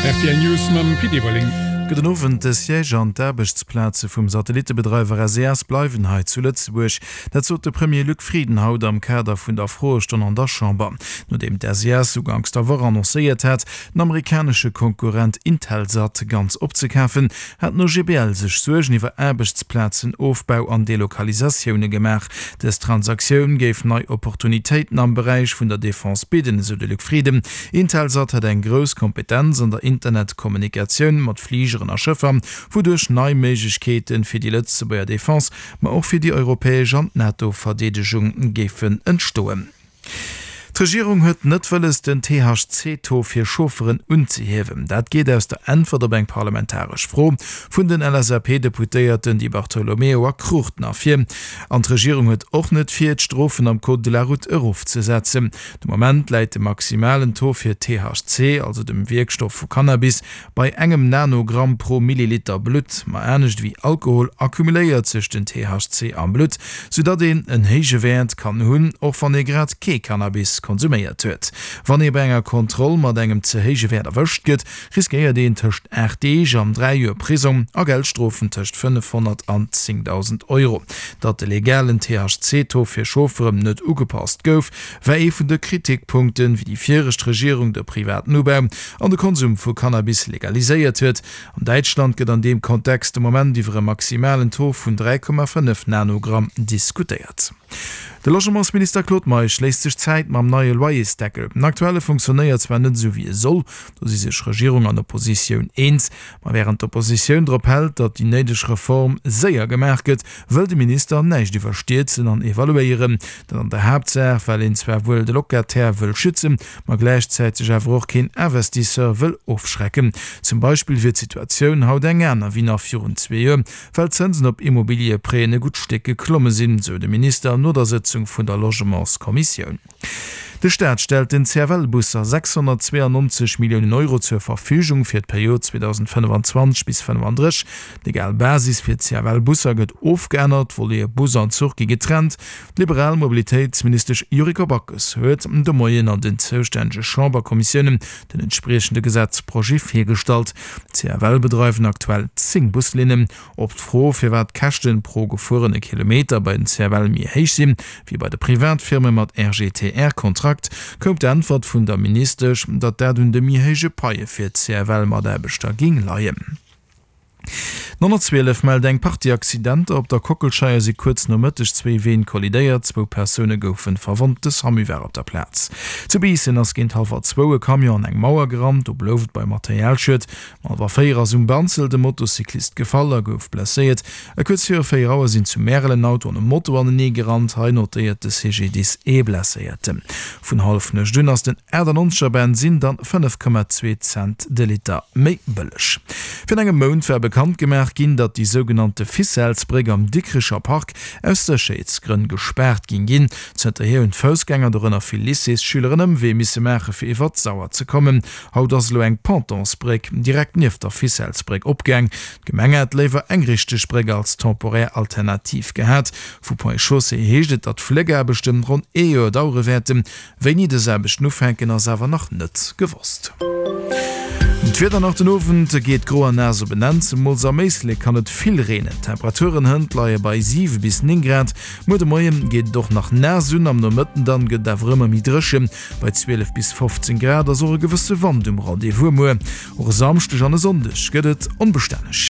Rtl News mam Pit Everling. Gudden Owend. De Siège an d'Aarbechtsplaze vum Satellittebedreiwer SES bleiwen hei zu Lëtzebuerg. Dat sot de Premier Luc Frieden haut am Kader vun der Froestonn an der Chamber. Nodeem d'SES uganks der Woch annoncéiert hat, den amerikanesche Konkurrent Intelsat ganz opzekafen, hat den OGBL sech Suergen iwwer Aarbechtsplazenofbau an Delokalisatioune gemaach. Dës Transaktioun géif nei Opportunitéiten am Beräich vun der Defense bidden, esou de Luc Frieden. Intelsat hätt eng grouss Kompetenz an der Internetkommunikatioun mat Fligeren a Schëffer, wouduerch nei Méiglechkeete fir déi Lëtzebuerger Defense, ma och fir déi europäesch an d'NATO-Verdeedegung géifen entstoen. D'Regierung huet net wëlles, den THC-Taux fir Chaufferen unzehiewen. Dat geet aus der Äntwert op eng parlamentaresch Fro vun den LSAP-Deputéierten Di Bartolomeo a Cruchten ervir. An d'Regierung huet och net vir, d'Strofen am Code de la route erofzesetzen. De Moment läit de maximalen Taux fir THC, also dem Wierkstoff vu Cannabis, Bei engem Nanogramm pro Milliliter Blutt, ma anescht ewéi Alkohol accumuléiert sech den THC am Blutt, soudatt een en héije Wäert kann hunn, och wann ee grad kee Cannabis konsuméiert huet. Wann ee bei enger Kontroll mat engem ze héije Wäert erwëscht gëtt, riskéiert een tëscht 8 Deeg an 3 Joer Prisong a Geldstrofen tëscht 500 an 10.000 Euro. Datt de legalen THC-Taux fir Chaufferen net ugepasst gouf, war ee vun de Kritikpunkten, wéi déi viregt Regierung de privaten Ubau an de Konsum vu Cannabis legaliséiert huet. An Däitschland gëtt an deem Kontext de Moment iwwer e maximalen Taux vun 3,5 Nanogramm diskutéiert. De Logementsminister Claude Meisch léisst sech Zäit mam neie Loyersdeckel. Den aktuelle funktionéiert zwar net esou wéi e soll, do si sech Regierung an Oppositioun eens. Ma wärend d'Oppositioun drop hält, datt déi néideg Reform séier gemaach gëtt, wëll de Minister näischt iwwerstierzen an evaluéieren. Dat an der Haaptsaach, well een zwar wuel de Locataire wëll schützen, ma gläichzäiteg awer och keen Investisseur wëll ofschrecken. Zum Beispill wier d'Situatioun haut eng aner wéi nach virun zwee Joer, well d'Zënsen op Immobiliëprêten e gutt Stéck geklomme sinn, sou de Minister no der Sëtzung vun der Logementskommissioun. De Staat stellt den CFL-Busser 692 Milliounen Euro zur Verfügung fir d'Period 2025 bis 35. D'legal Basis fir d'CFL-Busser gëtt ofgeännert, d'Volete Bus an Zuch gi getrennt. D'liberal Mobilitéitsministesch Yuriko Backes huet de Moien an den zoustännege Chamberkommissiounen den entspriechende Gesetzprojet virgestallt. D'CFL bedreiwen aktuell 10 Buslinnen. Op d'Fro, firwat d'Käschten pro gefuerene Kilometer bei den CFL méi héich sinn, wéi bei de Privatfirme mat RGTR-Kontrakt, koum d'Äntwert vun der Ministesch, datt dat un de méi héije Paie fir d'CFL-Mataarbechter géing leien. D'N 112 mellt eng Partie Accidenter. Op der Kockelscheier si kuerz no Mëtteg zwéi Ween kollidéiert, zwou Persoune goufe verwonnt. De Samu war op der Plaz. Zu Biissen ass géint hallwer zwou e Camion an eng Mauer gerannt, do blouf et bei Materialschued. Um hallwer 4 ass um Banzelt e Motocyclist gefall a gouf blesséiert. E kuerz viru 4 Auer sinn zu Märel en Auto an e Moto anenee gerannt. Hei notéiert de CGDIS ee Blesséierten. Vun Hallefnuecht un ass den 98 er Bensinn dann 5,2 Cent de Liter méi bëlleg. Virun engem Mount war bekannt gemaach ginn, datt déi sougenannte Ficellesbréck am Dikricher Park aus Sécherheetsgrënn gespaart ging ginn. Zënterhier hunn d'Foussgänger, dorënner vill Lycéesschüler, en Ëmwee misse maache fir iwwert d'Sauer ze kommen. Haut ass elo eng Pontonsbréck direkt nieft der Ficellesbréck opgaang. D'Gemeng hätt léiwer eng richteg Bréck als temporär Alternativ gehat. Vu Ponts et Chaussées heescht et, datt d'Fléckaarbechten ronn ee Joer dauere wäerten. Wéini dës Aarbechten ufänken, ass awer nach net gewosst. D'Wieder nach den Owend geet gro an naass op en Enn, zemools am Éislek kann et vill reenen. D'Temperaturen hënt leie bei 7 bis 9 Grad. Muer de Moie geet et och nach naass un, am Nomëtten dann gëtt et awer ëmmer méi dréchen. Bei 12 bis 15 Grad ass och e gewësse Wand um Rendez-vous. Muer och e Samschdeg an e Sonndeg gëtt et onbestänneg.